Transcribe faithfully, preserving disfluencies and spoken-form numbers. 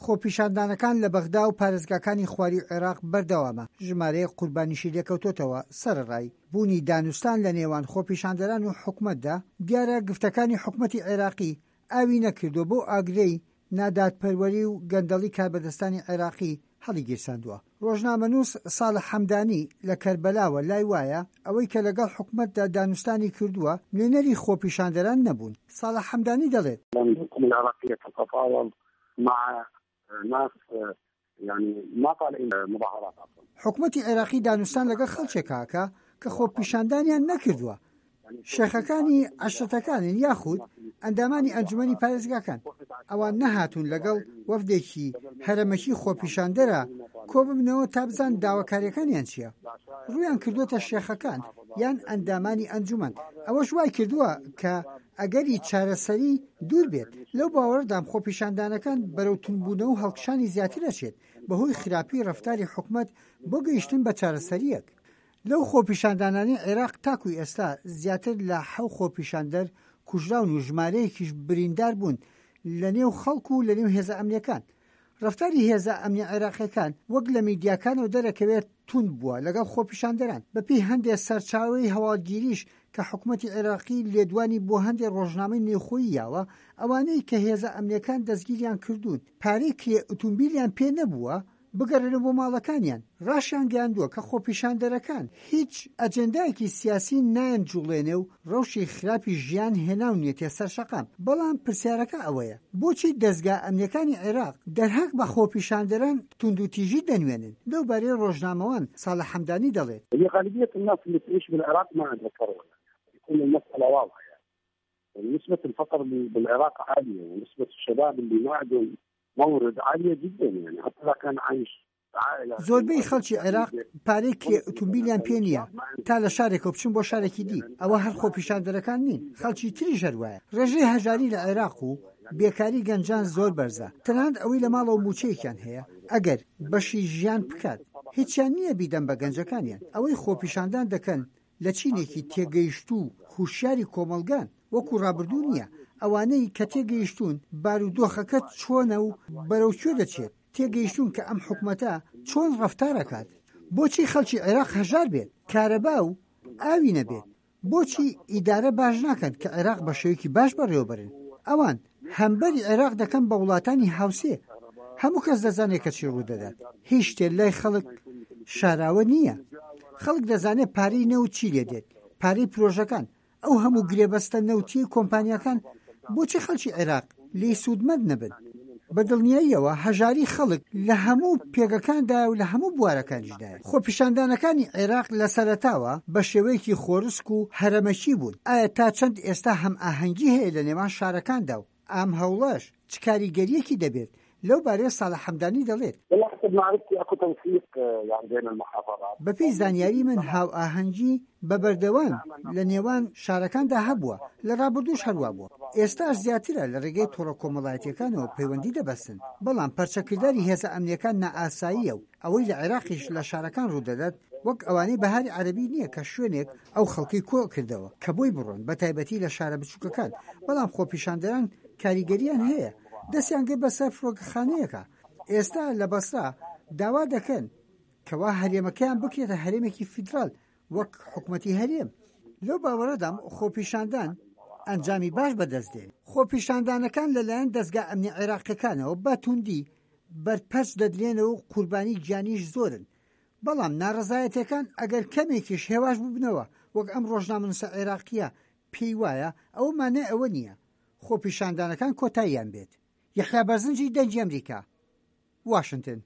خۆپیشاندانەکان لە بەغدا و پارێزگاکانی خوارووی عێراق بەردەوامە، ژمارەیەک قوربانیشی لێکەوتۆتەوە. سەرەڕای بوونی دانوستان لە نێوان خۆپیشاندەران و حکومەتدا، دیارە گفتەکانی حکومەتی عێراقی ئاوی نەکردووە بەو ئاگرەی نادادپەروەری و گەندەڵی کاربەدەستانی عێراقی هەڵیگیرساندووە. ڕۆژنامەنووس ساڵح حەمدانی لە کەربەلاوە لای وایە ئەوەی کە لەگەڵ حکومەتدا دانوستانی کردووە نوێنەری خۆپیشاندەران نەبوون. ساڵح حەمدانی دەڵێت: الحكومة العراقية تتفاوض مع ناس يعني ما طالعين مظاهرات اصلا. حکومەتی عێراقی دانوستان لەگەڵ خەڵکێک ئەکا کە خۆپیشاندانیان نەکردووە، شێخەکانی عەشرەتەکانن یاخود ئەندامانی ئەنجومەنی پارێزگاکان. ئەوان نەهاتوون لەگەڵ وەفدێکی هەرەمەکی خۆپیشاندەرا کۆببنەوە تا بزانن داواکاریەکانیان چییە. ڕوویان کردووەتە شێخەکان یان ئەندامانی ئەنجومەن، ئەوەش وای کردووە کە ئەگەری چارەسەری دوور بێت. لەو باوەڕدام خۆپیشاندانەکان بەرەو توندبوونەوە و هەڵکشانی زیاتر ئەچێت بەهۆی خراپی ڕەفتاری حکومەت بۆ گەیشتن بە چارەسەریەک. لەو خۆپیشاندانانەی عێراق تاکو ئێستا زیاتر لە حەو خۆپیشاندەر کوژراون و ژمارەیەکیش بریندار بوون لە نێو خەڵک و لە نێو هێزە ئەمنیەکان. ڕەفتاری هێزە ئەمنیە عێراقیەکان وەک لە میدیاکانەوە دەرەکەوێت توند بووە لەگەڵ خۆپیشاندەران. بەپێی هەندێک سەرچاوەی هەواڵگیریش کە حکومەتی عێراقی لێدوانی بۆ هەندێک ڕۆژنامەی نێوخۆیی یاوە، ئەوانەی کە هێزە ئەمنیەکان دەستگیریان کردوون پارەی کرێ ئوتومبیلیان پێ نەبووە بگەڕێنەوە بۆ ماڵەکانیان. ڕاشیانگەیاندووە کە خۆپیشاندەرەکان هیچ ئەجێندایەکی سیاسی نایانجوڵێنێ و ڕەوشی خراپی ژیان هێناونیەتیە سەر شەقام. بەڵام پرسیارەکە ئەوەیە بۆچی دەزگا ئەمنیەکانی عێراق دەرهەق بە خۆپیشاندەران توندوتیژی دەنوێنن؟ لەو بارەی ڕۆژنامەوان ساڵح حەمدانی دەڵێت: هي غالبية الناس اللي تعيش بالعراق ما عندها ثروة، يعني يكون المسألة واضحة. يعني نسبة الفقر بالعراق عالية ونسبة الشباب اللي ما عندهم مورد عالية جدا، يعني حتى إذا كان عايش زۆربەی خەڵکی عێراق پارەی کرێ ئوتومبیلیان پێ نییە تا لە شارێکەوە بچن بۆ شارێکی دی. ئەوە هەر خۆپیشاندەرەکان نین، خەڵکی تریش هەر وایە. ڕێژەی هەژاری لە عێراق و بێکاری گەنجان زۆر بەرزە، تەنانەت ئەوەی لە ماڵەوە مووچەیەکیان هەیە ئەگەر بەشی ژیان بکات هیچیان نییە بیدەن بە گەنجەکانیان. ئەوەی خۆپیشاندان دەکەن لە چینێکی تێگەیشتوو و هوشیاری کۆمەڵگان، وەکو ڕابردوو نییە. ئەوانەی کە تێگەیشتوون بارودۆخەکە چۆنە و بەرەو کوێ دەچێت، تێگەیشتوون کە ئەم حکومەتە چۆن ڕەفتارەکات. بۆچی خەڵکی عێراق هەژار بێت، کارەبا و ئاوی نەبێت؟ بۆچی ئیدارە باش ناکەن کە عێراق بە شێوەیەکی باش بەڕێوەبەرن؟ ئەوان هەمبەری عێراق دەکەن بە وڵاتانی هاوسێ. هەموو کەس دەزانێت کە چی ڕوودەدات. هیچ شتێ لای خەڵک شاراوە نییە. خەڵک دەزانێت پارەی نەوت چی لێ دێت، پارەی پرۆژەکان، ئەو هەموو گرێبەستە نەوتیەی کۆمپانیاکان. بۆچی خەڵکی عێراق لێی سوودمەند نەبن؟ بە دڵنیاییەوە هەژاری خەڵک لە هەموو پێگەکاندایە و لە هەموو بوارەکانیشدایە. خۆپیشاندانەکانی عێراق لە سەرەتاوە بە شێوەیەکی خۆرسک و هەرەمەکی بوون. ئایا تا چەند ئێستا هەمئاهەنگی هەیە لە نێوان شارەکاندا و ئەم هەوڵەش چ کاریگەریەکی دەبێت؟ لەو بارەیە ساڵح حەمدانی دەڵێت: والله حسب معرفتي اكو تنسيق يعني بين المحافظات. بەپێی زانیاری من هاوئاهەنگی بە بەردەوام لە نێوان شارەکاندا هەبووە، لە ڕابردووش هەروا بووە، ئێستاش زیاترە لە ڕێگەی تۆڕە کۆمەڵایەتیەکانەوە پەیوەندی دەبەستن. بەڵام پەرچەکرداری هێزە ئەمنیەکان نائاساییە و ئەوەی لە عێراقیش لە شارەکان ڕوودەدات وەک ئەوانەی بەهاری عەرەبی نییە کە شوێنێک ئەو خەڵکی کۆ کردەوە کە بۆی بڕۆن، بە تایبەتی لە شارە بچووکەکان. بەڵام خۆپیشاندەران کاریگەریان هەیە، دەستیان گرت بەسەر فڕۆکەخانەیەکە. ئێستا لە بەسرا داوا دەکەن کەوا هەرێمەکەیان بکرێتە هەرێمێکی فیدرال وەک حکومەتی هەرێم. لەو باوەڕەدام خۆپیشاندان ئەنجامی باش بەدەست دێن. خۆپیشاندانەکان لەلایەن دەزگا ئەمنی عێراقیەکانەوە بە توندی بەرپەرچ دەدرێنەوە و قوربانی گیانیش زۆرن. بەڵام ناڕەزایەتیەکان ئەگەر کەمێکیش هێواش ببنەوە وەک ئەم ڕۆژنامەنووسە عێراقیە پێی وایە، ئەوە مانای ئەوە نییە خۆپیشاندانەکان کۆتاییان بێت. یەحیا بەرزنجی، دەنگی ئەمریکا، واشنتن.